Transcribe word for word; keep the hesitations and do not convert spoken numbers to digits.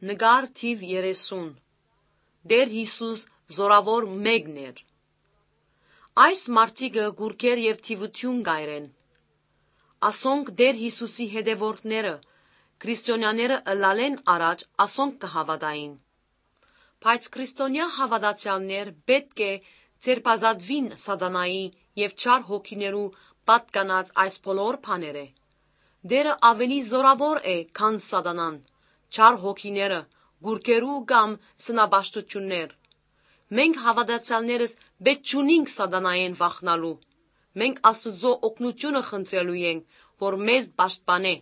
Նկար թիւ երեսուն։ Տէր Յիսուս զօրաւոր մէկն էր։ Այս մարդիկը կուռքեր եւ թիւութիւն կ'այրեն։ Ասոնք Տէր Յիսուսի հետեւորդները, քրիստոնյաները ըլլալէն առաջ ասոնք կը հաւատային։ Բայց քրիստոնեայ հաւատացեալներ պէտք է ձերբազատուին Սատանայի եւ չար հոգիներու պատկանած այս բոլոր բաներէ։ Տէրը աւելի զօրաւոր է, քան Սատանան, չար հոգիները, կուռքերու կամ սնապաշտութիւններ։ Մենք հաւատացեալներս պէտք չունինք Սատանայէն վախնալու։ Մենք Աստուծոյ օգնութիւնը խնդրելու ենք, որ մեզ պաշտպանէ։